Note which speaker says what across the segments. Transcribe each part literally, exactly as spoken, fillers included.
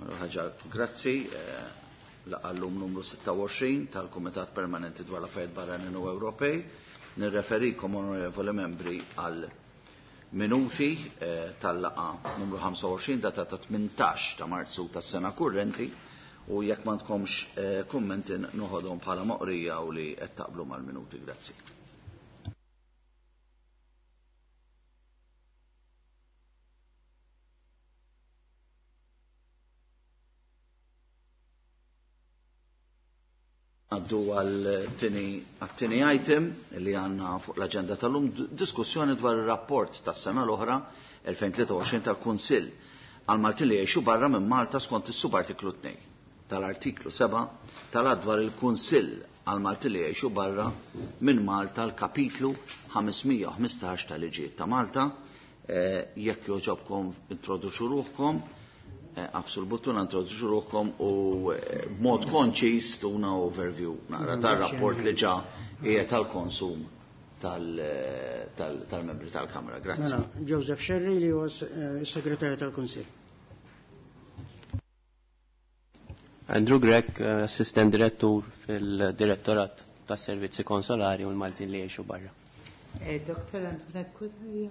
Speaker 1: Mela ħaġa, grazzi, eh, laqallum numru sitta u għoxrin tal-Kumitat Permanenti dwar l-Affarijiet Barranin u Ewropej. Nirreferikom, onorevoli membri, għal minuti, eh, tal-laqa numru ħamsa u għoxrin datata tmintax ta' Marzu tas-sena kurrenti, u jekk ma tkomx, eh, kummenti noħodhom bħala moqrija u li qed taqblu mal-minuti. Grazzi. Għaddu għal-tini item li għanna fuq l-agenda tal-lum, diskussjoni dwar il-rapport tas-sena l-oħra elfejn tlieta u għoxrin tal-Kunsill għal Maltin li jgħixu barra minn Malta skont is-subartiklu tnejn tal-artiklu seba' tal-att dwar il-Kunsill għal Maltin li jgħixu barra minn Malta l-kapitlu ħamesmija u ħmistax tal-Liġijiet ta' Malta. Eh, jekk joġobkom introduċu ruħkom, eh, għafsu l-buttuna, introduċu ruħkom u, eh, b'mod konċis tuna overview naqra tar-rapport li ġa hija tal-konsum tal-, tal-, tal-membri tal-Kamra. Grazzi.
Speaker 2: Mela, Joseph Scerri li huwa s-, eh, s-segretarju tal-Kunsill.
Speaker 3: Andrew Grech, eh, assistent direttur fil-Direttorat tas-Servizzi Konsolari u l-Maltin li jgħixu barra.
Speaker 4: Eh, Doktor Antoinette Cutajar,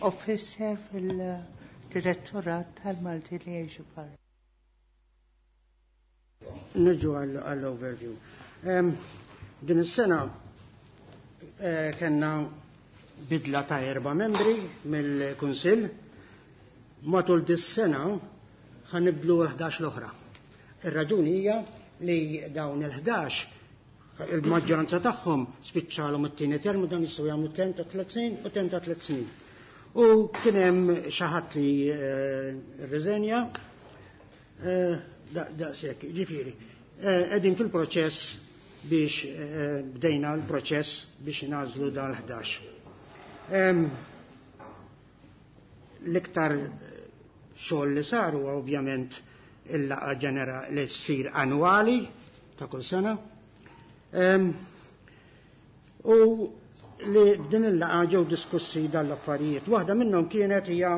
Speaker 4: officer fil-Direttorat tal-Maltin li jgħixu barra.
Speaker 2: Nirġu għall-overview. Em, din is-sena, eh, kellna bidla ta' erba' membri mill-Kunsill. Matul dis-sena ħanibdlu l-ħdax l-oħra. Ir-raġuni hija li dawn il-ħdax il-maġġoranza tagħhom spiċċalhom it-tieni term u dan jistgħu jagħmlu term ta' tliet snin u term ta' tliet snin. U kien hemm xi ħadd li, eh, rriżenja, eh, da-, daqshekk, ġifieri. Eh, qegħdin fil-proċess biex, eh, bdejna l-proċess biex nagħżlu dal-ħdax. Em, l-iktar xogħol li sar huwa ovvjament il-laqgħa ġenera li ssir annwali ta' kull sena. Em, u li f'din il-laqgħa ġew diskussi dan l-affarijiet. Waħda minnhom kienet hija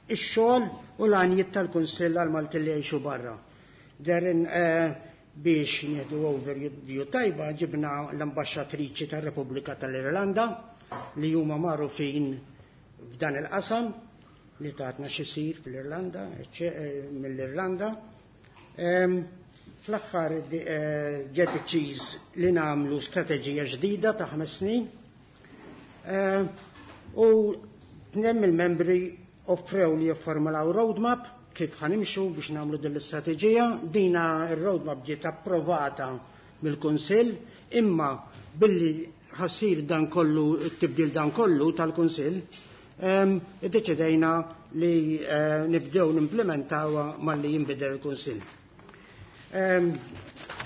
Speaker 2: x-xogħol u l-għanijiet tal-Kunsill għal Maltin li jgħixu barra. Derin, eh, biex nieħdu overview tajba ġibna l-ambaxxatriċi tar-Repubblika tal-Irlanda li huma magħrufin f'dan il-qasam li tatna xisir fl-Irlanda, eċċe-, eh, mill-Irlanda. Em, fl-aħħar, eh, ġie deċiż li nagħmlu strateġija ġdida ta' ħames snin. Eh, u tnejn mill-membri offrew li jifformulaw roadmap kif ħanimxu biex nagħmlu din l-istrateġija. Dina r-roadmap ġiet approvata mill-Kunsill, imma billi ħassir dan kollu, it-tibdil dan kollu tal-Kunsill, em, iddeċidejna li, eh, nibdew nimplementawha malli jinbidel il-Kunsill. Em,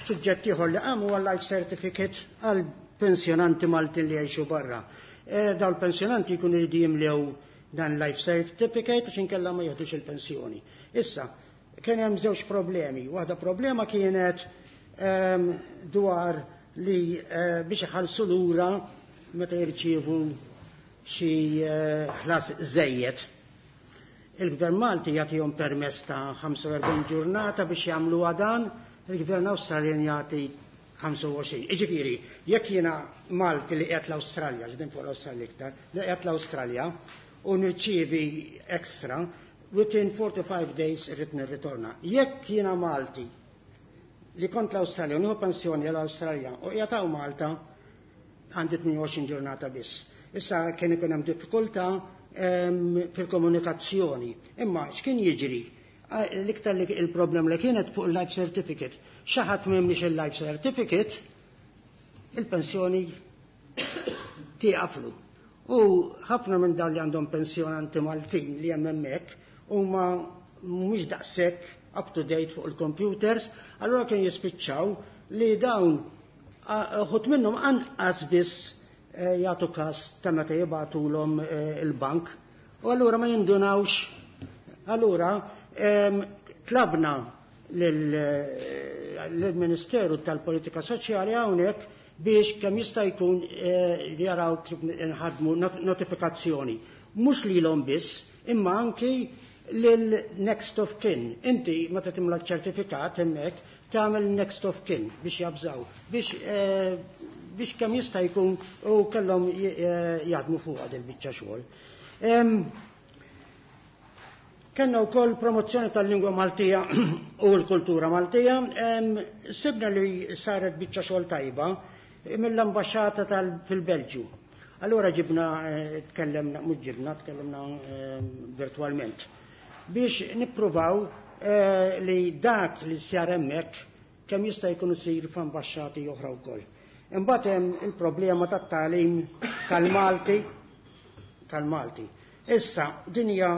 Speaker 2: suġġett ieħor li qam huwa life certificate għal pensjonanti Maltin li jgħixu barra. Eh, dawn il-pensjonanti jkunu jridu jimlew dan life certificate għax inkella ma jieħdux il-pensjoni. Issa, kien hemm żewġ problemi. Waħda problema kienet, ehm, dwar li, eh, biex iħallsu lura meta jirċievu xi, eh, ħlas żejjed. Il-Gvern Malti jagħtihom permess ta' ħamsa u erbgħin ġurnata biex jagħmlu dan, il-Gvern Awstraljan jagħti ħamsa u għoxrin. Jiġifieri, jekk jiena Malti li qiegħed l-Awstralja, ġdin fuq l-Awstralja iktar, li qiegħed l-Awstralja u nirċievi extra, within forty-five days irrid nirritorna. Jekk jiena Malti li kont l-Awstralja u nieħu pensjoni l-Awstralja u qiegħed hawn Malta, għandi tmien u għoxrin ġurnata biss. Issa kien ikun hemm diffikultà, ehm, fil-komunikazzjoni. Imma x'kien jiġri? Ah, l-iktar li il-problem li kienet fuq il-life certificate. Xi ħadd m'hemmx il-life certificate, il-pensjoni tieqaflu. U ħafna minn dawn li għandhom pensjonanti Maltin li hemm hemmhekk huma mhumiex daqshekk up to date fuq il-computers, allura kien jispiċċaw li dawn, ah, uħud minnhom anqas biss, eh, jagħtu każ ta' meta jibgħatulhom, eh, il-bank, u allura ma jindunawx. Allura, ehm, tlabna lil, eh, lill-Ministeru tal-Politika Soċjali hawnhekk biex kemm jista' jkun, eh, jaraw kif nħadmu not-, notifikazzjoni. Mhux lilhom biss, imma anki lil next of kin. Inti meta timla ċertifikat hemmhekk tagħmel next of kin biex jabżaw, biex eh, biex kemm jista' jkun u kellhom eh, jaħdmu fuq il biċċa xogħol. Kenna wkoll promozzjoni tal-lingwa Maltija u l-kultura Maltija. Sibna li saret biċċa xogħol tajba mill-ambaxxata fil-Belġju. Allura ġibna, eh, tkellemna, mhux ġibna, tkellemna virtualment biex nippruvaw eh, li dak li sar hemmhekk kemm jista' jkun isir f'ambaxxati oħra wkoll. Imbagħad hemm il-problema tat-tagħlim tal-Malti tal-Malti. Issa din hija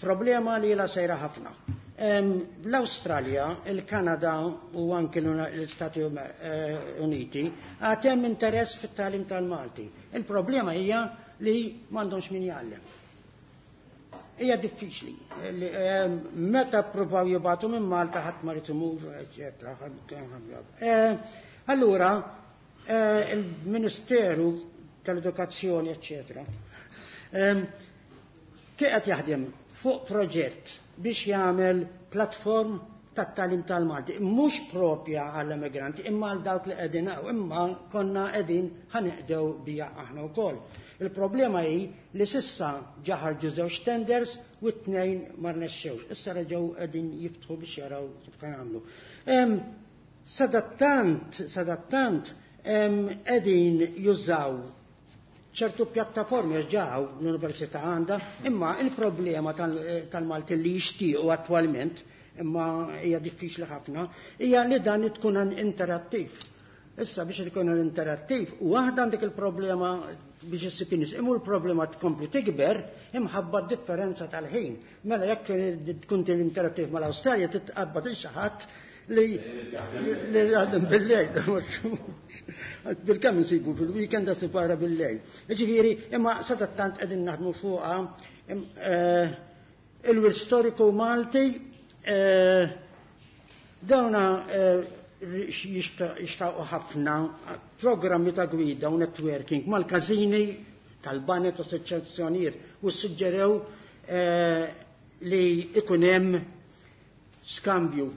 Speaker 2: problema li la sejra ħafna. L-Awstralja, il-Kanada u anki l-Istati eh, Uniti għad hemm interess fit-tagħlim tal-Malti. Il-problema hija li m'għandhomx min jgħallem. Hija diffiċli. Meta ppruvaw jibgħatu minn Malta ħadd ma rid imur, eċetera. Eh, allura, eh, il-Ministeru tal-Edukazzjoni, eċetera, qed jaħdem fuq proġett biex jagħmel platform tat-tagħlim tal-Malti, mhux propja għall-immigranti, imma għal dawk li qegħdin hawn, imma konna qegħdin ħaneqdew bija aħna wkoll. Il-problema hi li sissa ġa ħarġu żewġ tenders u t-tnejn ma rnexxewx. Issa reġgħu qegħdin jiftħu biex jaraw kif jagħmlu. Sadattant, sadattant, qegħdin jużaw ċertu pjattaformi ġaw l-Università għandha, imma il-problema tal-Malti li jixtiequ attwalment, imma hija diffiċli ħafna, hija li dan tkun interattiv. Issa biex tkun interattiv, u waħda għandek il-problema biex issib nies, imma l-problema tkompli tikber imħabba d-differenza tal-ħin. Mela jekk tkun interattiv mal-Awstralja titqabbad il xi ħadd li li jaħdem bil-lejl. Bil-kemm insibu fil-weekend separa bil-lejl. Ġifieri, imma sadattant qegħdin naħdmu fuqha il-wirt storiku Malti dawna jixtaqu ħafna programmi ta' gwida u networking mal-każini tal-banet u assoċjazzjonijiet u suġġerew li ikun hemm skambju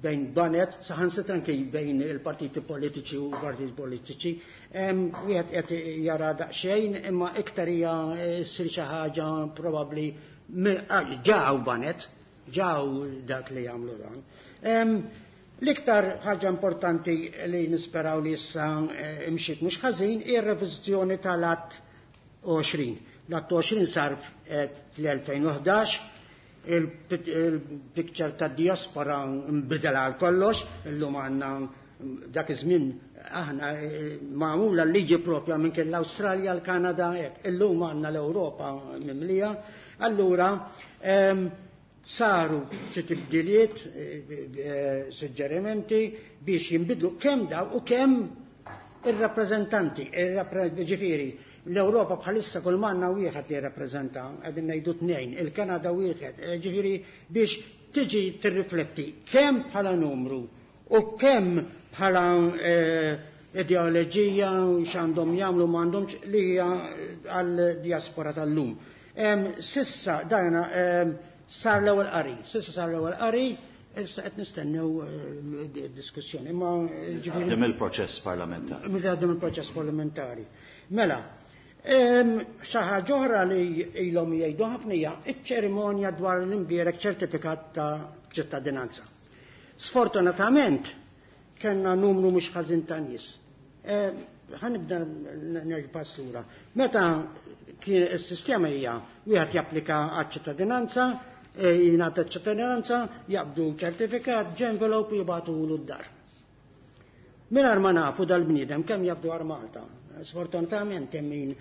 Speaker 2: bejn banet, saħansitra anke bejn il-partiti politiċi u partiti politiċi. Wieħed qed jara daqsxejn, imma iktar hija ssir xi ħaġa probabbli ġaw banet, ġaw dak li jagħmlu dan. L-iktar ħaġa importanti li nisperaw li issa imxiet mhux ħażin hi r-reviżjoni tal-Att għoxrin. L-Att għoxrin sar fl-elfejn u ħdax, il-picture ta' diaspora nbidel għal kollox, illum għandna dak iż-żmien aħna magħmula l-liġi propja minn kien l-Awstralja, l-Kanada, hekk. Illum għandna l-Ewropa mimlija. Allura saru xi tibdiliet, suġġerimenti biex jinbidlu kemm daw u kemm ir-rappreżentanti, ġifieri l-Ewropa bħalissa kull manna wieħed li jirrappreżenta, qegħdin ngħidu tnejn, il-Kanada wieħed, ġifieri biex tiġi tirrifletti kemm bħala numru u kemm bħala ideoloġija u x'għandhom jagħmlu m'għandhomx li hija għall-diaspora tal-lum. Sissa dajna sar l-ewwel qari, sissa sar l-ewwel qari, issa qed nistennew diskussjoni. Imma
Speaker 1: ġifieri Għaddem il-proċess parlamentari.
Speaker 2: Għaddem il-proċess parlamentari. Mela, xi ħaġa oħra li ilhom jgħidu ħafna hija ċ-ċerimonja dwar l-imbierek ċertifikat ta' ċittadinanza. Sfortunatament kellna numru mhux ħażin ta' nies. Ħanibda nerġa' lura. Meta kien is-sistema hija wieħed japplika għaċ-ċittadinanza, jingħata ċittadinanza, jaqbdu ċertifikat, ġenvelope jibgħatulu d-dar. Mingħajr ma nafu dal-bniedem kemm jaf dwar Malta. Sfortunatament hemm min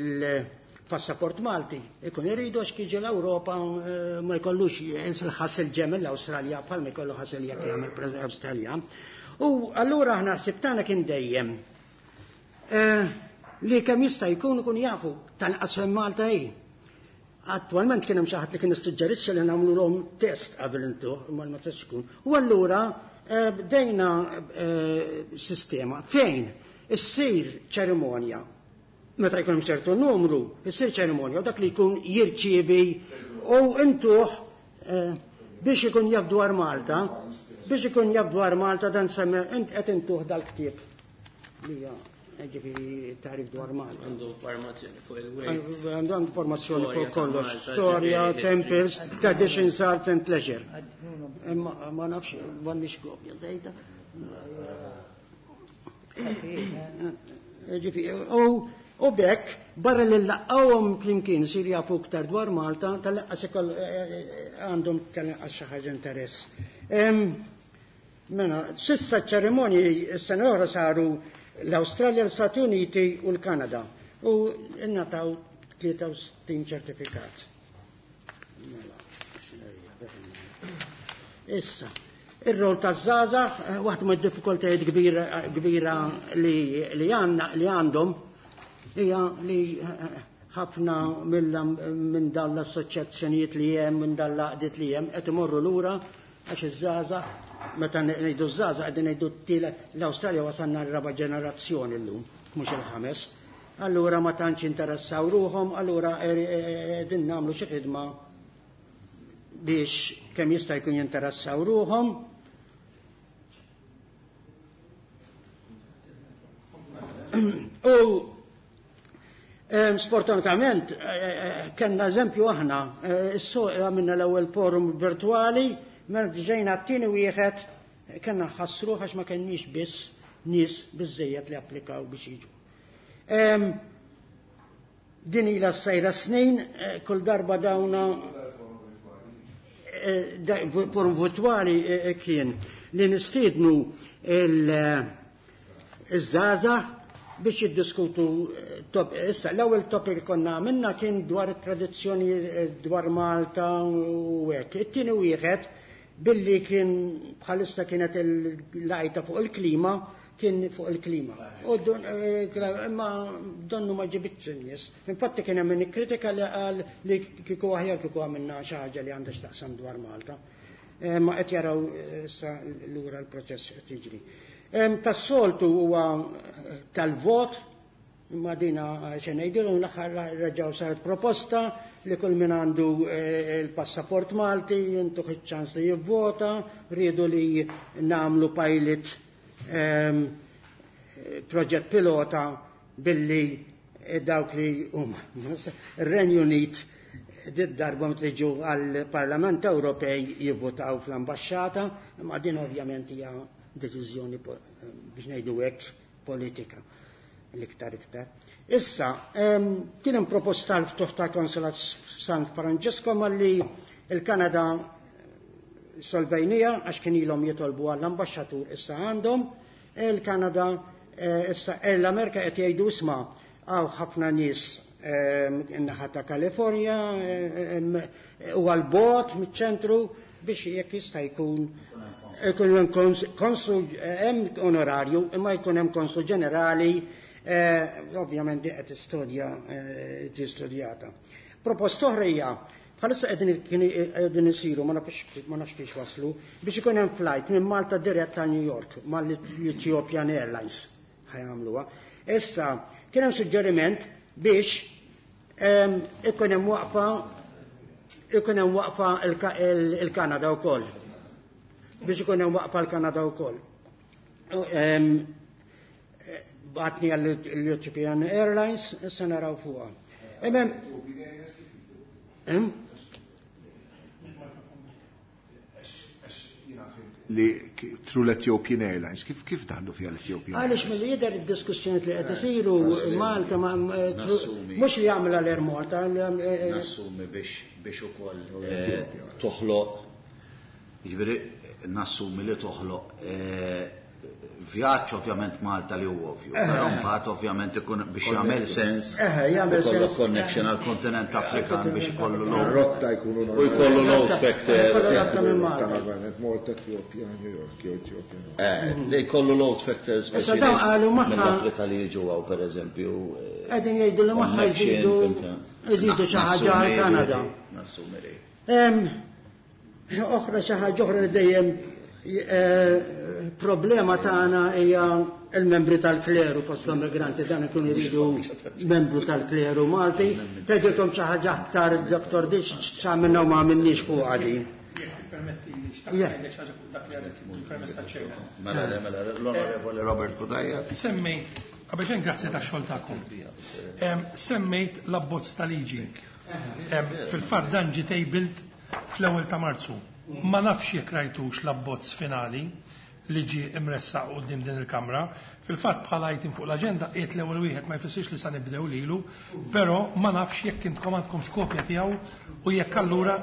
Speaker 2: il-passaport Malti ikun iridu għax kiġi l-Ewropa ma jkollux il-ħasil ġemel l-Awstralja bħal ma jkollu ħasil jekk jagħmel Awstralja. U allura aħna ħsib tagħna kien dejjem li kemm jista' jkun ikun jafu tal-qas fejn Malta hi. Attualment kien hemm xi ħadd li kien issuġġerixxa li nagħmluhom test qabel intu, imma ma tistax ikun. U allura bdejna sistema fejn issir ċerimonja. Meta jkun hemm ċertu numru, issir ċerimonja u dak li jkun jirċievi U intuh biex ikun jaf dwar Malta, biex ikun jaf dwar Malta dan semme int qed intuh dal-ktieb li hija ġifieri tarif dwar Malta.
Speaker 3: Għandu informazzjoni fuq il-wejt.
Speaker 2: Għandu informazzjoni fuq kollox, storja, temples, traditions, arts and leisure. Imma ma nafx, m'għandix kopja żejda. Ġifieri, u bekk barra li laqgħuhom flimkien sir jafu iktar dwar Malta, tal-lanqas għandhom tal-lanqas xi ħaġa interess. Mela, s'issa ċ-ċerimonji s-sena l-oħra saru l-Awstralja, l-Stati Uniti u l-Kanada u ngħataw tlieta u sittin ċertifikat. Mela, issa, ir-rol taż-żgħażagħ, waħda mid-diffikultajiet kbira li għandhom hija li ħafna minn dawn l-assoċjazzjonijiet li hemm, minn dawn l-għaqdiet li hemm, qed imorru lura għax iż-żgħażagħ, meta ngħidu ż-żgħażagħ qegħdin ngħidu t-tielet, l-Awstralja wasalna r-raba' ġenerazzjoni llum, mhux il-ħames. Allura ma tantx interessaw ruħhom, allura qegħdin nagħmlu xi ħidma biex kemm jista' jkun jinteressaw ruħhom. U sfortunatament kellna eżempju aħna, is-suq għamilna l-ewwel forum virtwali, mela ġejna t-tieni wieħed kellna ħassruh għax ma kenniex biss nies biżżejjed li applikaw biex jiġu. Din ilha sejra snin, kull darba dawna forum virtwali kien li nistiednu il-żgħażagħ biex jiddiskutu top. Issa l-ewwel topic li konna għamilna kien dwar it-tradizzjoni dwar Malta u hekk. It-tieni wieħed billi kien bħalissa kienet il-lajta fuq il-klima, kien fuq il-klima. U imma donnu ma ġibitx in-nies. Infatti kien hemm min ikkritika li qal li kieku aħjar kieku għamilna xi ħaġa li għandha x'taqsam dwar Malta. Ma qed jaraw issa lura l-proċess qed jiġri. Tas-soltu huwa tal-vot, imma dina xe ngħidilhom l-aħħar reġgħu saret proposta li kull min għandu il-passaport Malti jintuh iċ-ċans li jivvota, riedu li nagħmlu pilot proġett pilota billi dawk li huma ir-Renju Unit dit darba meta ġew għall-Parlament Ewropej jivvotaw fl-ambaxxata, imma din ovvjament hija deċiżjoni biex ngħidu hekk politika l-iktar iktar. Issa, kien hemm proposta l-ftuħ ta' konsulat San Francisco malli il-Kanada solvejnija għax kien ilhom jitolbu għall-ambaxxatur issa għandhom, il-Kanada issa l-Amerika qed jgħidu isma' hawn ħafna nies in-naħa ta' Kalifornja u għall-bogħod miċ-ċentru biex jekk jista' jkun ikun hemm konsul hemm onorarju imma jkun hemm konsul ġenerali, ovvjament di qed tistudja tistudjata. Proposta oħra hija bħalissa qegħdin isiru ma nafx ma nafx fiex waslu biex ikun hemm flight minn Malta dirett ta' New York mal-Ethiopian Airlines ħajamluha. Issa kien hemm suġġeriment biex ikun hemm waqfa ikun hemm waqfa il-Kanada wkoll. Biex ikun hemm waqfa l-Kanada wkoll. Batni għall-Ethiopian Airlines, issa naraw fuqha. Imem
Speaker 5: Li through l-Ethiopian Airlines, kif kif daħlu fiha l-Ethiopian Airlines?
Speaker 2: Għaliex milli jidher id-diskussjoni li qed isiru Malta mhux li jagħmilha l-Air Malta.
Speaker 1: Nassumi biex biex ukoll toħloq, jiġifieri nassumi li toħloq vjaġġ ovvjament Malta li huwa ovvju, però mbagħad ovvjament ikun biex jagħmel sens ikollu connection għall kontinent Afrikan biex ikollu load.
Speaker 5: Rotta jkunu
Speaker 1: u jkollu load factor.
Speaker 5: Malta, Ethiopia, New York, Ethiopia.
Speaker 1: Eh, li jkollu load factor
Speaker 2: Issa dawn qalu magħha
Speaker 1: mill-Afrika li jiġu hawn pereżempju.
Speaker 2: Qegħdin jgħidu li magħha jżidu jżidu xi ħaġa għal Kanada.
Speaker 1: Nassumi li.
Speaker 2: Oħra xi ħaġa oħra li dejjem Il-problema tagħna hija il-membri tal-kleru fost l-immigranti, dan ikun iridu membru tal-kleru Malti. Tgħidilkom xi ħaġa aktar id-Doktor Dix x'għamilna u ma għamilniex fuq din.
Speaker 6: Permetti li xtaqt ngħidlek xi ħaġa fuq dak li għadet il-permess taċ-chairman.
Speaker 1: Mela le, mela l-Onorevoli Robert Cutajar.
Speaker 6: Semmejt, qabel xejn grazzi tax-xogħol tagħkom. Semmejt l-abbozz ta' liġi. Fil-fatt dan ġie tabled fl-ewwel ta' Marzu. Ma nafx jekk rajtux l-abbozz finali li ġie imressaq quddiem din il-Kamra. Fil-fatt bħala item fuq l-aġenda qiegħed l-ewwel wieħed ma jfissirx li sa nibdew lilu, però ma nafx jekk intkom għandkom x'kopja tiegħu u jekk allura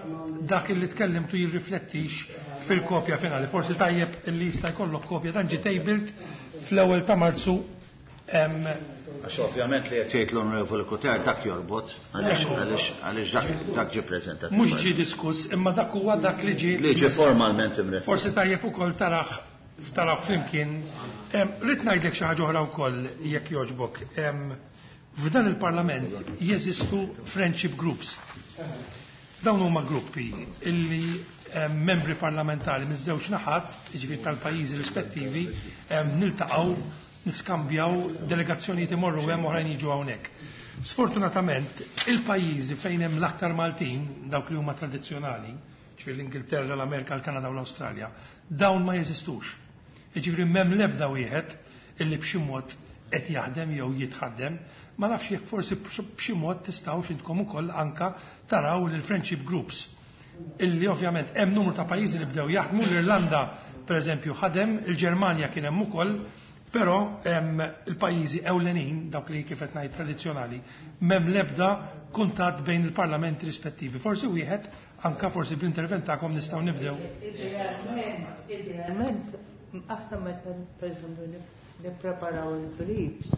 Speaker 6: dak li tkellimtu jirriflettix fil-kopja finali. Forsi tajjeb li jista' jkollok kopja dan ġie tabled fl-ewwel ta' Marzu.
Speaker 1: Għax ovvjament li qed jgħid l-Onorevoli Cutajar dak jorbot għaliex għaliex dak dak ġie preżentat.
Speaker 6: Mhux ġie diskuss, imma dak huwa dak li ġie
Speaker 1: li ġie formalment imressaq.
Speaker 6: Forsi tajjeb ukoll taraħ taraw flimkien. Rrid ngħidlek xi ħaġa oħra wkoll jekk jogħġbok. F'dan il-Parlament jeżistu friendship groups. Dawn huma gruppi illi membri parlamentari miż-żewġ naħat, jiġifieri tal-pajjiżi rispettivi, niltaqgħu, niskambjaw, delegazzjonijiet imorru hemm oħrajn jiġu hawnhekk. Sfortunatament, il-pajjiżi fejn hemm l-aktar Maltin, dawk li huma tradizzjonali, ġifieri l-Ingilterra, l-Amerika, l-Kanada u l-Awstralja, dawn ma jeżistux. Jiġifieri m'hemm l-ebda wieħed illi b'xi mod qed jaħdem jew jitħaddem, ma nafx jekk forsi b'xi mod tistgħux intkom ukoll anka taraw lil friendship groups illi ovvjament hemm numru ta' pajjiżi li bdew jaħdmu, l-Irlanda pereżempju ħadem, il-Ġermanja kien hemm ukoll, però il-pajjiżi ewlenin, dawk li kif qed ngħid tradizzjonali, m'hemm l-ebda kuntatt bejn il-parlamenti rispettivi. Forsi wieħed anka forsi bl-intervent tagħkom nistgħu nibdew.
Speaker 4: Idealment, idealment, aħna meta pereżempju nippreparaw il-briefs,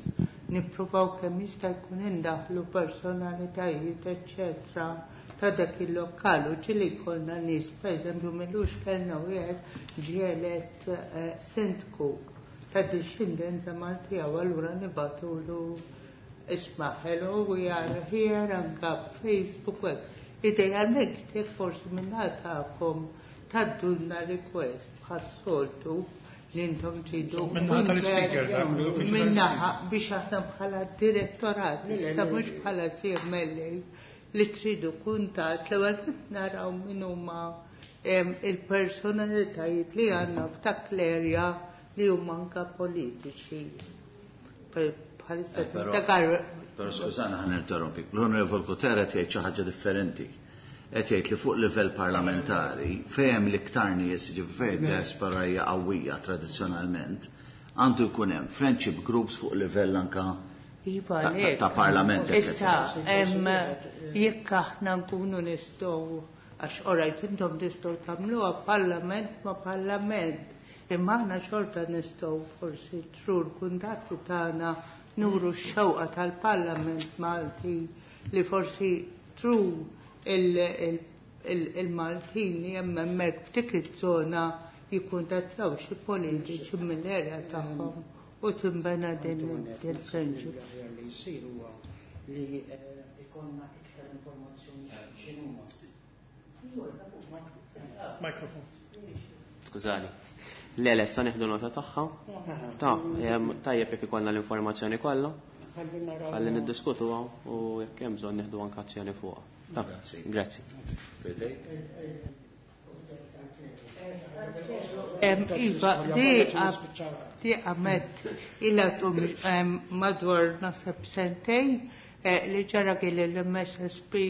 Speaker 4: nippruvaw kemm jista' jkun indaħlu personalitajiet, eċċetera, ta' dak il-lokal u ġieli jkollna nies, pereżempju m'ilux kellna wieħed ġie elett sindku ta' discendenza Maltija u allura nibatulu isma' hello, we are here, anka Facebook. Idealment jekk forsi minna tagħkom taddulna request bħas-soltu li intom tridu
Speaker 6: Minnaħa tal-speaker, dak, mill-uffiċċju
Speaker 4: minnaħa biex aħna bħala direttorat, issa mhux bħala C M L A li tridu kuntatt l-ewwel naraw min huma il-personalitajiet li għandna f'dak l-area li huma anka politiċi. Bħalissa
Speaker 1: Eh, però
Speaker 4: tiftakar.
Speaker 1: Però skużana ħan interrompi. L-Onorevol Cutajar qed jgħid xi ħaġa differenti. Qed jgħid li fuq livell parlamentari fejn hemm l-iktar nies, ġifieri diaspora hija qawwija tradizzjonalment, għandu jkun hemm friendship groups fuq livell anka
Speaker 4: Iva,
Speaker 1: ta',
Speaker 4: le.
Speaker 1: ta' parlament,
Speaker 4: Issa,
Speaker 1: eccetera.
Speaker 4: em, jekk aħna nkunu nistgħu, għax orajt intom tistgħu tagħmluha parlament ma' parlament, imma aħna xorta nistgħu forsi trur kuntatti tagħna nuru x-xewqa tal-Parlament Malti li forsi tru il-, il, il-Maltin li hemm hemmhekk f'dik iż-żona jikkuntattjaw xi politiċi mill-erja tagħhom u tinbena din il-friendship.
Speaker 2: L-aħjar li jsir huwa li, eh, ikollna iktar informazzjoni x'inhuma.
Speaker 6: Mikrofon.
Speaker 3: Skużani. Le, le, sa nieħdu nota tagħha. Ta, jem, tajjeb jekk ikollna l-informazzjoni kollha.
Speaker 2: Ħalli naraw.
Speaker 3: Ħalli niddiskutuha u jekk hemm bżonn nieħdu anke azzjoni fuqha. Ta,
Speaker 1: Grazzi.
Speaker 3: grazzi.
Speaker 4: Em, Iva, di di għamet illa tum, em, madwar nasab sentej, eh, li ġara kien l-M S S P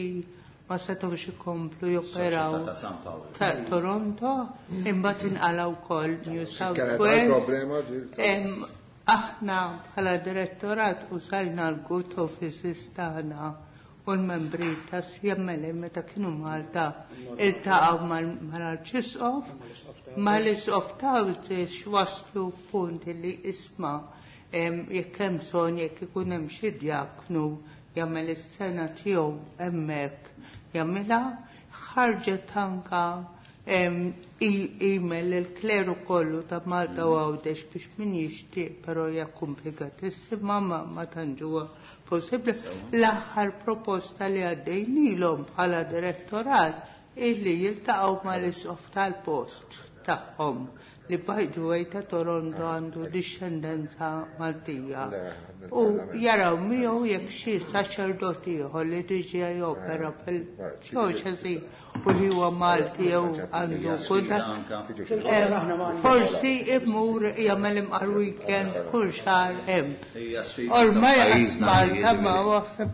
Speaker 4: ma setgħux ikomplu joperaw
Speaker 1: Soċjetà ta' San Paolo.
Speaker 4: ta' Toronto, imbagħad inqalgħu wkoll New South
Speaker 5: Kienet
Speaker 4: Wales.
Speaker 5: problema ġil ta'
Speaker 4: Em, aħna bħala direttorat użajna l-good offices tagħna u l-membri ta' C M L A meta kienu Malta iltaqgħu mal-, mal-Arċisqof, mal-Isqof ta' Għawdex waslu punt li isma', em, jekk hemm bżonn jekk ikun hemm xi djaknu jagħmel is-sena tiegħu hemmhekk jagħmilha, ħarġet anka, em, e-, email il-kleru kollu ta' Malta u Għawdex biex min jixtieq, però hija komplikatissima, ma, ma tantx huwa possibbli. L-aħħar proposta li għaddejnilhom bħala direttorat illi jiltaqgħu mal-isqof tal-post tagħhom li by the way ta' Toronto għandu discendenza Maltija. U jaraw miegħu jekk xi saċerdoti ieħor li diġà jopera fil-djoċesi u li huwa Malti jew għandu kuntatt. Forsi imur jagħmel imqar weekend kull xahar hemm. Ormai Malta ma waħseb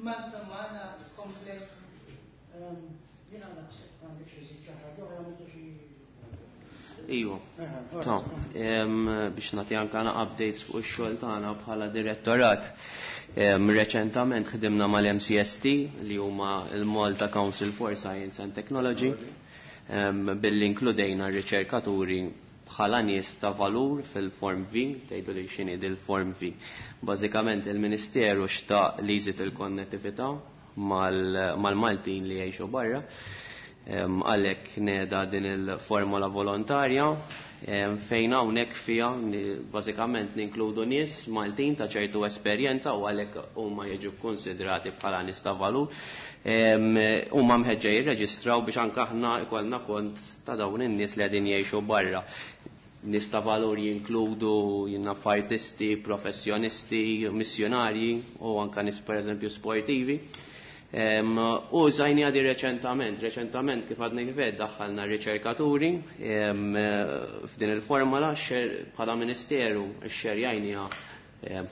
Speaker 4: Malta magħna komplet.
Speaker 3: Iva, ta' biex nagħti anke updates fuq ix-xogħol tagħna bħala direttorat. Reċentament ħdimna mal-M C S T li huma l-Malta Council for Science and Technology, billi inkludejna r-riċerkaturi bħala nies ta' valur fil-Form V. Tgħidu li x'inhi dil-Form V. Bażikament il-Ministeru xtaq li jżid il-konnettività mal-Maltin li jgħixu barra. Għalhekk neda din il-formola volontarja fejn hawnhekk fiha bażikament ninkludu nies Maltin ta' ċertu esperjenza u għalhekk huma jiġu konsidrati bħala nies ta' valur. Huma mħeġġa jirreġistraw biex anke aħna ikollna kont ta' dawn in-nies li qegħdin jgħixu barra. Nies ta' valur jinkludu jinnaf artisti, professjonisti, missjonarji u anke nies pereżempju sportivi. U żajni għadi reċentament, reċentament kif għadni kif daħħalna riċerkaturi f'din il-formola bħala ministeru xxerjajniha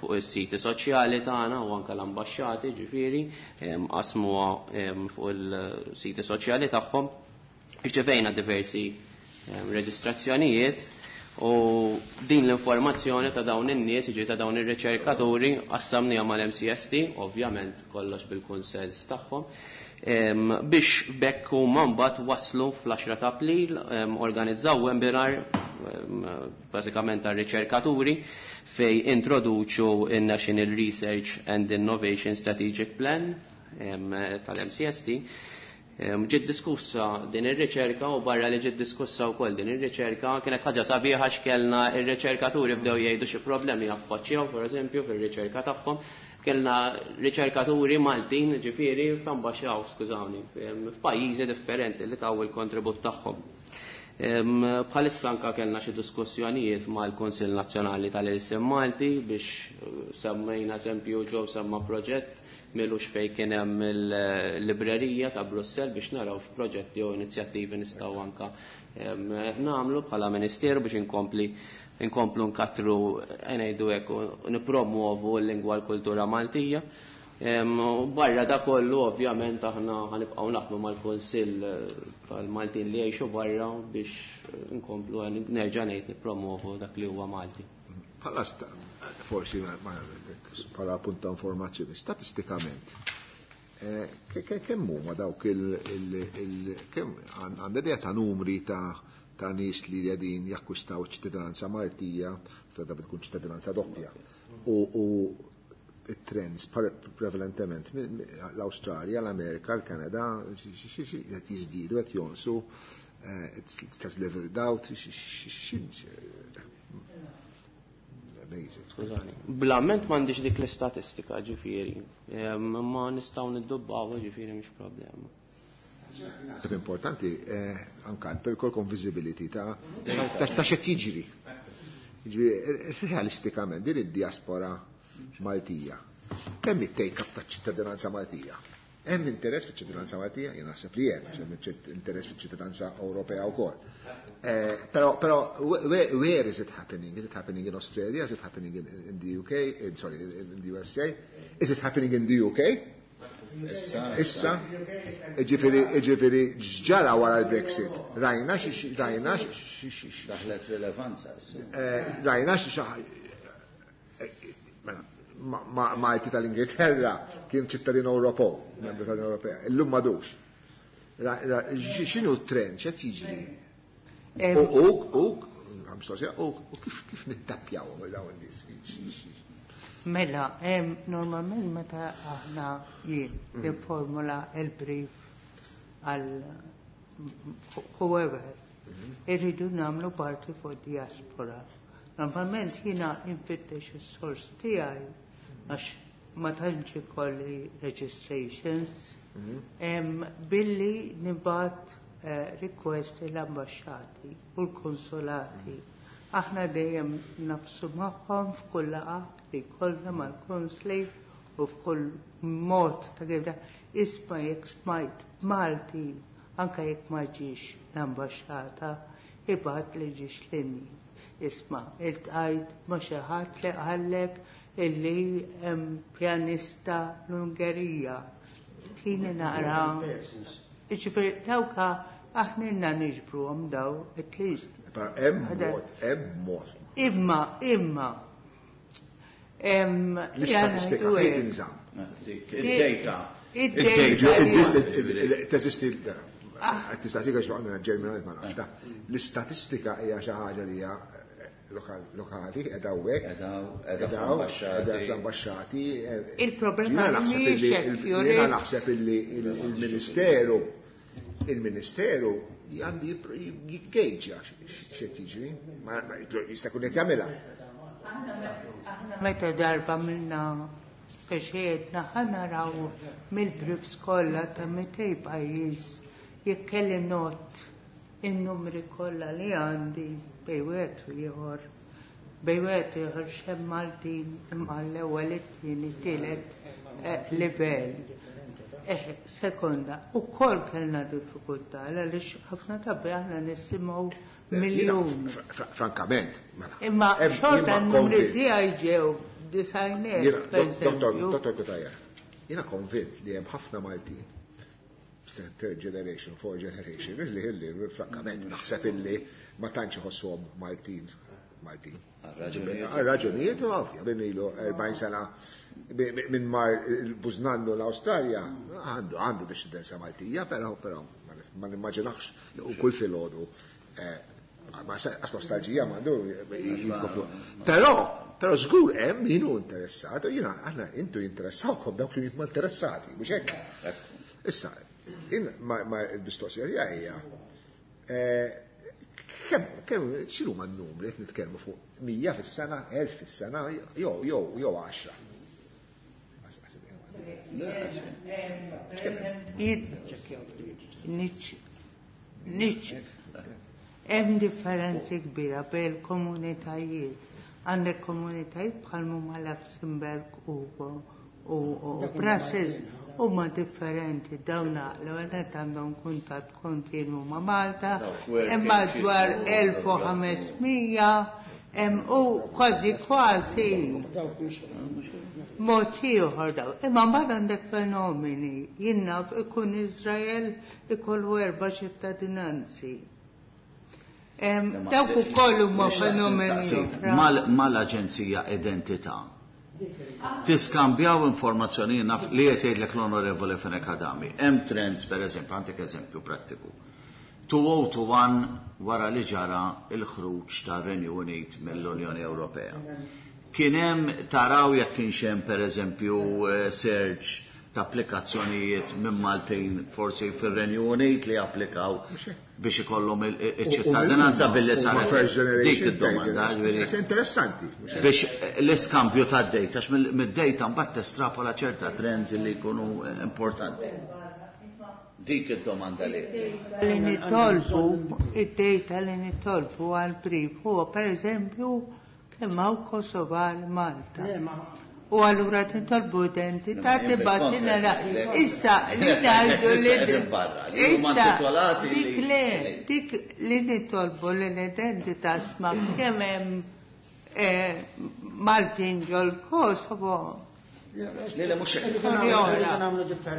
Speaker 3: fuq is-siti soċjali tagħna u anke l-ambaxxati ġifieri qasmuha fuq il-siti soċjali tagħhom. Irċevejna diversi reġistrazzjonijiet u din l-informazzjoni ta' dawn in-nies, jiġi ta' dawn ir-riċerkaturi, qassamniha mal-M C S T, ovvjament kollox bil-kunsens tagħhom, biex bekk huma mbagħad waslu fl-għaxra ta' April, organizzaw webinar bażikament tar-riċerkaturi fej introduċu in-National Research and Innovation Strategic Plan tal-M C S T. Ġiet diskussa din ir-riċerka u barra li ġiet diskussa wkoll din ir-riċerka kienet ħaġa sabiħa x'kellna ir-riċerkaturi bdew jgħidu xi problemi jaffaċċjaw, pereżempju, fir-riċerka tagħhom. Kellna riċerkaturi Maltin ġifieri f'ambaxxaw, skużawni, f'pajjiżi differenti li taw il-kontribut tagħhom. Bħalissa anka kellna xi diskussjonijiet mal-Kunsill Nazzjonali tal-Ilsien Malti biex semmejna eżempju ġew semma proġett milux fej kien hemm il-librerija ta' Brussell biex naraw f'proġetti u inizjattivi nistgħu anka nagħmlu bħala Ministeru biex inkompli inkomplu nkattru, ngħidu hekk, nippromuovu l-lingwa, l-kultura Maltija. Barra da kollu, ovvjament, aħna ħanibqgħu naħdmu mal-Kunsill tal-Maltin li jgħixu barra biex nkomplu, nerġa' ngħid, nippromovu dak li huwa Malti.
Speaker 5: Bħala forsi bħala punta informazzjoni, statistikament, kemm huma dawk il kemm għandha idea ta' numri ta' ta' nies li qegħdin jakkwistaw ċittadinanza Maltija, ta' tkun ċittadinanza doppja? U it-trends prevalentement l-Australja, l-Amerika, l-Kanada, qed jiżdiedu, qed jonqsu, it's leveled out? Amazing.
Speaker 3: Blament m'għandix dik l-istatistika ġifieri, ma nistgħu niddubbaw ġifieri, mhix problema.
Speaker 5: Importanti anka per kolkom visibility ta' ta' x'qed jiġri. Realistikament din id-diaspora Maltija. Kemm it-take up ta' ċittadinanza Maltija? Hemm interess fiċ-ċittadinanza Maltija? Jien naħseb li hemm, hemm interess fiċ-ċittadinanza Ewropea wkoll. Però però where is it happening? Is it happening in Australia? Is it happening in, in the U K? In, sorry, in the U S A? Is it happening in the U K? Issa, ġifieri, ġifieri, ġara wara l-Brexit. Rajna xi, rajna xi.
Speaker 1: Daħlet rilevanza.
Speaker 5: Rajna xi, Malti tal-Ingilterra kien ċittadin Ewropew, membru tal-Unjoni Ewropea. Illum m'għadux. X'inhu t-trend, x'qed jiġri? U u u kif kif nittappjaw dawn in-nies?
Speaker 4: Mela, normalment meta aħna jien nifformula il-brief għal whoever, irridu nagħmlu parti fuq diaspora. Normalment jiena infittex is-sors tiegħi għax ma tantx ikolli registrations billi nibgħat request l-ambasċati u l-konsolati. Aħna dejjem nafsu magħhom f'kull laqgħa li jkollna mal-konsli u f'kull mod ta' kif isma' jekk smajt Malti anke jekk ma ġiex l-ambaxxata ibgħat li ġiex linji. Isma' iltqajt ma' xi ħadd li qallek illi hemm pjanista l-Ungerija. Tini naqra. Jiġifieri dawka aħna ilna niġbruhom daw at least.
Speaker 5: Hemm mod, hemm mod.
Speaker 4: Imma, imma.
Speaker 5: L-istatistika fejn tinżamm?
Speaker 1: Id-data.
Speaker 4: Id-data.
Speaker 5: Teżisti l-istatistika x'għandna ġerminali ma nafx. L-istatistika hija xi ħaġa li hija lokali, qiegħda hawnhekk, qiegħda fl-ambaxxati.
Speaker 4: Il-problema mhijiex
Speaker 5: Jiena naħseb illi il-Ministeru il-Ministeru għandi jiggejġa x'qed jiġri, jista' jkun qed jagħmilha.
Speaker 4: Meta darba minna speċi għedna ħa naraw mill-briefs kollha ta' mitej pajjiż jekk kelli not in-numri kollha li għandi bejn wieħed u ieħor. Bejn wieħed u ieħor x'hemm Maltin imma l-ewwel it-tieni tielet livell. Eh, sekonda, u kol kellna diffikultà, għaliex ħafna drabi aħna nisimgħu miljun.
Speaker 5: Frankament, mela.
Speaker 4: Imma xorta n-numri tiegħi ġew disajner.
Speaker 5: Dottor Dottor Cutajar, jiena konvint li hemm ħafna Maltin, third generation, fourth generation, illi illi frankament naħseb illi ma tantx iħossuhom Maltin. Maltin. Għal-raġunijiet ovvja, minn ilu erbgħin sena minn mar il-bużnannu l-Awstralja, għandu għandu discendenza Maltija, però però ma nimmaġinax u kull filgħodu ma għas nostalġija m'għandu jinkoplu. Però però żgur hemm min hu interessat, u jiena aħna intu jinteressawkom dawk li huma interessati, mhux hekk. Issa, ma l-mistoqsija tiegħi hija kemm kemm x'inhu ma n-numri qed nitkellmu fuq mija fis-sena, elf fis-sena, jew jew jew għaxra.
Speaker 4: Hemm differenzi kbira bejn komunitajiet. Għandek komunitajiet bħal huma Luxemburg u u Brussels huma differenti dawn l-ewwel nett għandhom kuntatt kontinwu ma' Malta, hemm madwar elf u ħames mija hemm u kważi kważi mod ieħor daw. Imma mbagħad għandek fenomeni, jien naf ikun Iżrael ikollu erba' ċittadinanzi. Dawk ukoll huma fenomeni.
Speaker 1: Mal-Aġenzija Identità tiskambjaw informazzjoni naf li qed jgħidlek l-Onorevoli Fenech Adami. Hemm trends pereżempju, għandek eżempju prattiku. two oh two one wara li ġara il-ħruġ tar-Renju Unit mill-Unjoni Ewropea. Kien hemm taraw jekk kienx hemm pereżempju search ta' applikazzjonijiet minn Maltin forsi fir-Renju Unit li applikaw biex ikollhom iċ-ċittadinanza billi saret dik id-domanda.
Speaker 5: Interessanti.
Speaker 1: Biex l-iskambju tad-data, għax mid-data mbagħad testrapola ċerta trends li jkunu importanti. Dik id-domanda li.
Speaker 4: Li nitolbu, id-data li nitolbu għal-brief huwa pereżempju kemm hawn Kosovar Malta. U allura titolbu identità tibgħatilna issa li ngħidu li issa dik le dik li nitolbu li l-identità sma kemm hemm Maltin ġol Kosovo.
Speaker 1: Le le mhux hekk.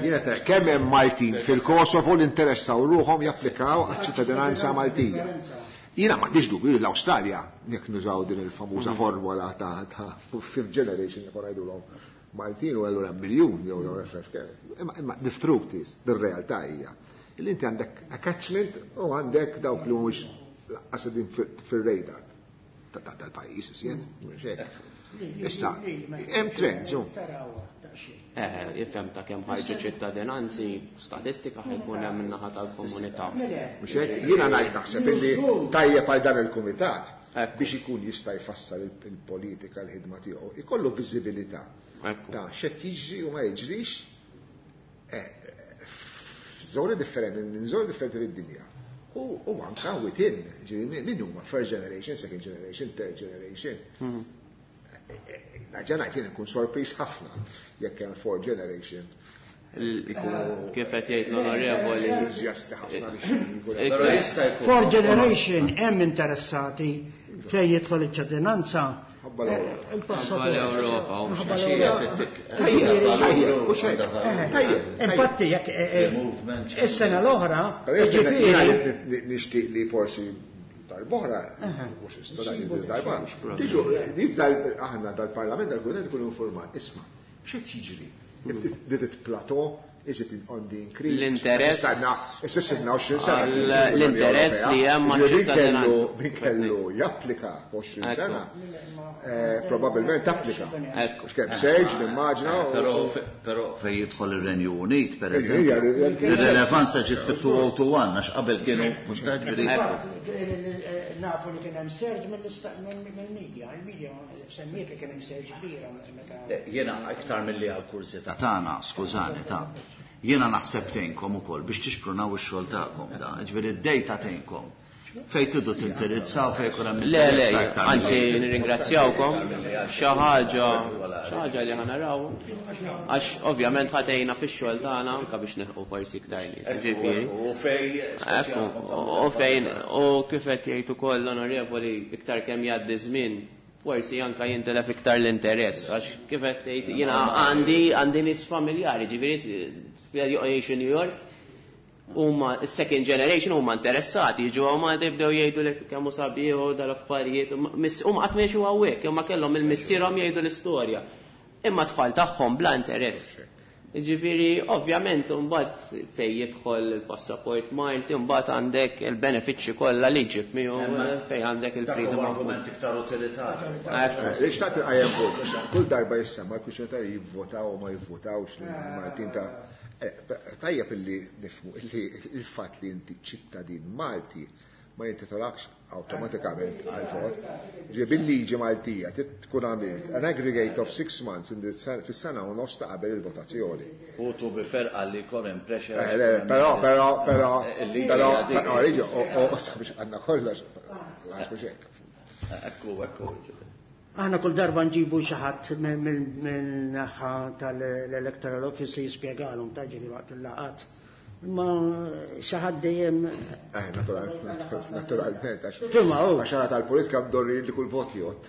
Speaker 5: Jiena kemm hemm Maltin fil-Kosovo li interessaw ruħhom japplikaw għaċ-ċittadinanza Maltija. Jiena m'għandix dubju li l-Awstralja, jekk nużaw din il-famuża formola ta' ta' fifth generation jekk ngħidulhom Maltin u allura miljun jew jew refresh. Imma imma the truth is, the realtà hija li inti għandek attachment u għandek dawk li mhumiex lanqas qegħdin fir-radar tal-pajjiż iżjed, mhux hekk. Issa, hemm trends.
Speaker 3: Eh, ifhem ta' kemm ħarġu ċittadinanzi, statistika ħajkun hemm min-naħa tal-komunità.
Speaker 5: Mhux hekk, jiena ngħid naħseb illi tajjeb għal dan il-kumitat biex ikun jista' jfassal il-politika l-ħidma tiegħu, ikollu viżibilità ta' x'qed jiġri u ma jiġrix żoni differenti, minn żoni differenti fid-dinja. U anka within, ġifieri min huma first generation, second generation, third generation. Nerġa' ngħid jien ikun sorpriż ħafna jekk hemm fourth generation.
Speaker 3: Kif qed jgħid l-onorevoli.
Speaker 5: Entużjasti ħafna biex
Speaker 1: Però jista' jkun.
Speaker 2: Fourth generation hemm interessati fejn jidħol iċ-ċittadinanza.
Speaker 5: Ħabba l-Ewropa.
Speaker 2: Il-passaport.
Speaker 3: L-Ewropa, u
Speaker 2: Ħabba
Speaker 1: xi
Speaker 2: l-Ewropa.
Speaker 5: Tajjeb, tajjeb, u xejn. Tajjeb.
Speaker 2: Infatti, jekk eh, eh,
Speaker 1: Movement.
Speaker 2: is-sena l-oħra,
Speaker 5: Però jekk jiena
Speaker 2: jiġifieri,
Speaker 5: nixtieq li forsi darb'oħra, mhux issa darba, tiġu aħna dal-Parlament dal-Kumitat ikunu informat, isma' x'qed jiġri? Did it plateau? Is it on the increase?
Speaker 3: L-interess-
Speaker 5: Issa sirna għoxrin sena.
Speaker 3: L-interess li hemm ma'
Speaker 5: Min kellu
Speaker 3: ċittadinanza.
Speaker 5: min kellu japplika għoxrin
Speaker 3: Ekku.
Speaker 5: sena, eh, probabbilment applika.
Speaker 3: Ekku.
Speaker 5: Għax kemm surge, nimmaġina. u-
Speaker 1: Però però fejn jidħol ir-Renju Unit, per
Speaker 5: Ija,
Speaker 1: eżempju,
Speaker 5: ija,
Speaker 1: ir-relevanza ġiet fit-two oh two one għax qabel kienu mhux ta' ġifieri.
Speaker 2: Nafu li kien hemm surge mill-media, il-media semmiet li kien hemm surge kbira meta.
Speaker 1: Jiena iktar milli għal kurżità tagħna, skużani ta' jiena naħseb tgħinkom ukoll biex tixprunaw ix-xogħol tagħkom da, ġifieri d-dejta tgħinkom. Fejn tridu tindirizzaw fejn ikun hemm
Speaker 3: Le, le,
Speaker 1: interess aktar
Speaker 3: anzi
Speaker 1: milli-
Speaker 3: nirringrazzjawkom, xi ħaġa, xi ħaġa li ħa naraw, għax ovvjament ħa tgħinna fix-xogħol tagħna anke biex nilħqu forsi iktar nies, ġifieri.
Speaker 1: U fej
Speaker 3: Ekku, u fejn, u kif qed jgħid ukoll l-onorevoli iktar kemm jgħaddi żmien, forsi anka jintelef iktar l-interess, għax kif qed tgħid jiena għandi għandi nies familjari, ġifieri jgħixu New York, huma second generation huma interessati, jiġu hawn Malta jibdew jgħidu lek kemm hu sabiħ u dal-affarijiet, huma qatt ma hawnhekk, huma kellhom il-missierhom jgħidu l-istorja. Imma tfal tagħhom bla interess. Ġifieri, ovvjament, mbagħad fej jidħol il-passaport Malti, mbagħad għandek il-benefiċċji kollha li ġib miegħu fej għandek
Speaker 1: Dak
Speaker 3: il-freedom
Speaker 1: huwa
Speaker 3: of
Speaker 1: argument iktar utilitarju.
Speaker 3: Ekku.
Speaker 5: Lix taqt il-qajjem punt, kull darba jissemma l-kwistjoni ta' jivvotaw u ma jivvotawx l-Maltin ta' eh, tajjeb illi nifhmu illi il-fatt li inti ċittadin Malti ma jintitolakx awtomatikament għal vot. Ġi bil-liġi Maltija trid tkun għamilt an aggregate of six months in the fis-sena u nofs ta' qabel il-votazzjoni.
Speaker 1: U tu biferqa li jkun hemm pressure.
Speaker 5: Eh, le, Però, però, però,
Speaker 1: Il-liġi
Speaker 5: però,
Speaker 1: hija dik.
Speaker 5: però, liġi, u u sabiex għandna kollox, mhux hekk.
Speaker 1: Ekku, ekku.
Speaker 2: Aħna kull darba nġibu xi ħadd minn naħa tal-Electoral Office li jispjegalhom ta' ġieli waqt il-laqat. Imma xi ħadd dejjem
Speaker 5: Eh, naturalment, naturalment, għax
Speaker 2: Fimha, hu.
Speaker 5: għax għara tal-politika mdorri li kull vot jgħodd.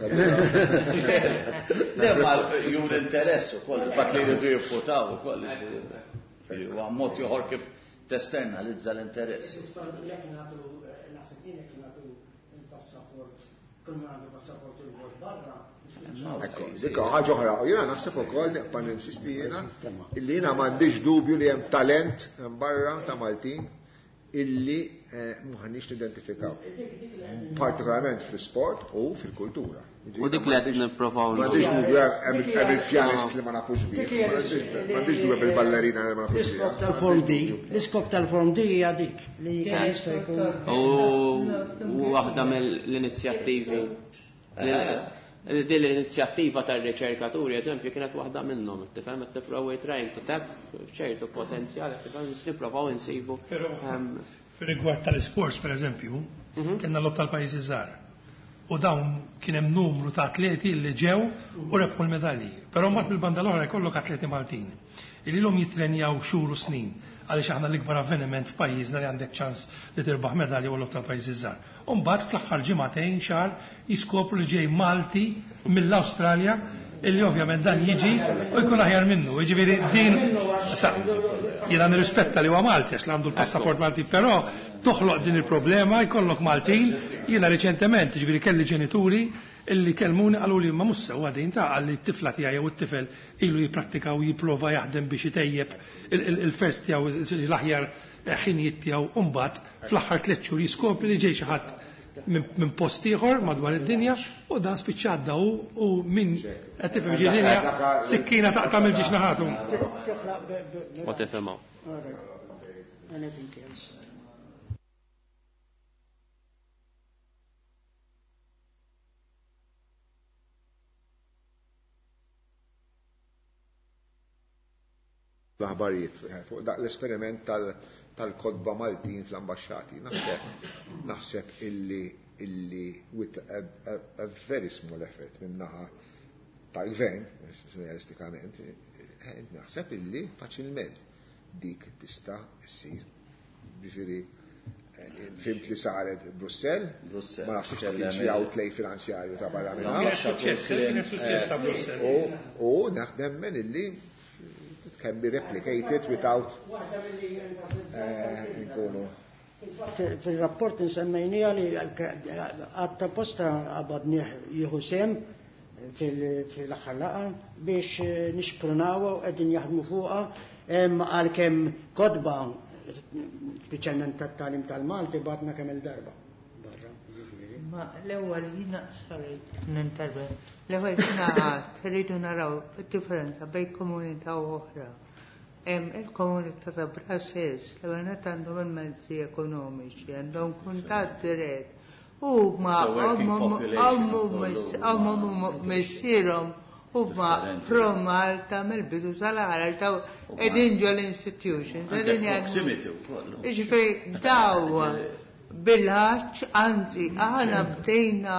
Speaker 1: Le, ma jur interess ukoll, il-fatt li jridu jivvotaw ukoll. ġifieri, huwa mod ieħor kif testernalizza l-interess.
Speaker 2: Jekk nagħtu naħseb jien jekk nagħtu il-passaport, kull min għandu passaport il-vot barra.
Speaker 5: Ekku, dik ħaġa oħra, u jiena naħseb ukoll nibqa' ninsisti jiena illi jiena m'għandix dubju li hemm talent hemm barra ta' Maltin illi eh, m'aħniex nidentifikaw. Partikolarment fl-sport u fil-kultura.
Speaker 3: U dik li qed nipprovaw
Speaker 5: M'għandix dubju hemm hemm il-pjanist li ma nafux bih, m'għandix dubju bil-ballerina li ma nafux bih.
Speaker 2: L-iskop tal-Form D, l-iskop tal-Form D hija dik li jista' jkun.
Speaker 3: U waħda mill-inizjattivi. Din l-inizjattiva tar-riċerkaturi, eżempju, kienet waħda minnhom, tifhem qed tipprovaw trying to tap ċertu potenzjal, tifhem nipprovaw insibu.
Speaker 6: Però
Speaker 3: ehm,
Speaker 6: fir-rigward tal-sports, per eżempju, kellna l-logħob tal-pajjiżi żgħar. U dawn kien hemm numru ta' atleti li ġew u rebħu l-medalji. Però mbagħad mill-banda l-oħra jkollok atleti Maltin. Illi l jitrenjaw xhur u snin għaliex aħna l-ikbar avveniment f'pajjiżna li għandek ċans li tirbaħ medalja u l-logħob tal-pajjiżi żgħar. U mbagħad fl-aħħar ġimagħtejn xahar jiskopru li ġej Malti mill-Awstralja illi ovvjament dan jiġi u jkun aħjar minnu. Jiġifieri din sa jiena nirrispetta li huwa Malti għax li għandu l-passaport Malti, però toħloq din il-problema jkollok Maltin. Jiena reċentement, jiġifieri kelli ġenituri illi kelmuni qalu li ma mhux sewwa din ta' qalli t-tifla tiegħi jew it-tifel ilu jipprattika u jipprova jaħdem biex itejjeb il-first tiegħu l-aħjar ħinijiet tiegħu u mbagħad fl-aħħar tliet xhur jiskopri li ġej xi ħadd minn post ieħor madwar id-dinja u dan spiċċa għadda u u min qed tifhem ġi dinja sikkina taqta' mill-ġiex naħatu.
Speaker 3: U tifhimha.
Speaker 2: Anything else?
Speaker 5: L-aħbarijiet fuq dak l-esperiment tal-kotba Maltin fl-ambasċati. Naħseb naħseb illi illi with a, a, a very small effort min-naħa tal-gvern, realistikament, naħseb illi faċilment dik tista' issir. Ġifieri fhimt li saret Brussell, ma naħsibx li kien xi outlay finanzjarju ta' barra minn hawn. U naħdem illi it can be replicated without nkunu.
Speaker 2: Fil-rapport nsemmejnija li għatta posta għabadnieh jieħu sehem fil-aħħar laqgħa biex nixprunaw u qegħdin jaħdmu fuqha għalkemm kotba speċjalment tat-tagħlim tal-Malti bgħatna kemm il-darba.
Speaker 4: Ma l-ewwel jiena sorry ninterven. L-ewwel jiena għad rridu naraw id-differenza bejn komunità u oħra. Il-komunità ta' Brussels, l-ewwel net għandhom il-mezzi ekonomiċi, għandhom kuntatt dirett. U ma għammu missierhom u ma pro Malta mill-bidu sal-aħħar daw qegħdin ġol institutions.
Speaker 1: Proximity wkoll.
Speaker 4: Ġifieri daw bil-ħaċ, anzi, aħna bdejna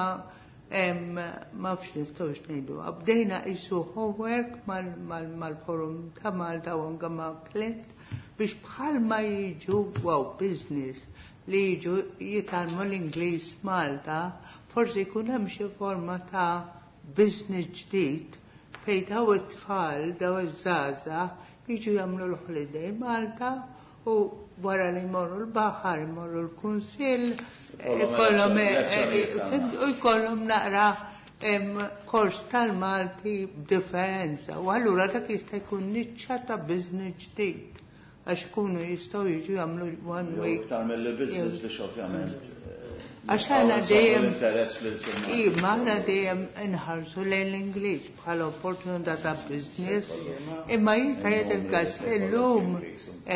Speaker 4: ma fx nistgħux ngħidu, bdejna isu homework mal-forum ta' Malta u anke ma' Clint biex bħalma jiġu wow business li jiġu jitgħallmu l-Ingliż Malta, forsi jkun hemm xi forma ta' business ġdid fejn daw it-tfal, daw iż-żgħażagħ jiġu jagħmlu l-holiday Malta u wara li jmorru l-baħar, jmorru l-kunsill, ikollhom u jkollhom naqra kors tal-Malti b'differenza. U allura dak jista' jkun niċċa ta' business ġdid għax ikunu jistgħu jiġu jagħmlu one week.
Speaker 1: Iktar mill-business biex ovvjament.
Speaker 4: Għax aħna dejjem
Speaker 1: interess fl-ilsien.
Speaker 4: Iva, aħna dejjem inħarsu lejn l-Ingliż bħala opportunità ta' business, imma jista' jgħid il-każ illum,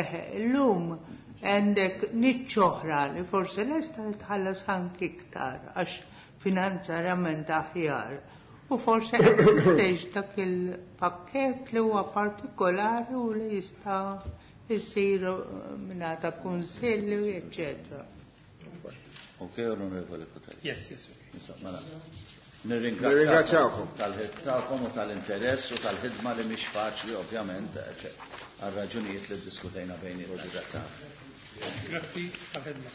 Speaker 4: eħe, illum għandek niċċa oħra li forsi lesta tħallas anki iktar għax finanzjarjament aħjar. U forsi qed dak il-pakkett li huwa partikolari u li jista' jsir mingħata kunsilli, eccetera.
Speaker 1: Ok, onorevoli Cutajar.
Speaker 6: Yes, yes, okay.
Speaker 1: Insomma, mela.
Speaker 5: Nirringrazzjawkom
Speaker 1: tal-ħidma u tal-interess u tal-ħidma li mhix faċli ovvjament, għal raġunijiet li ddiskutejna bejnietna.
Speaker 6: Grazzi tal-ħidma.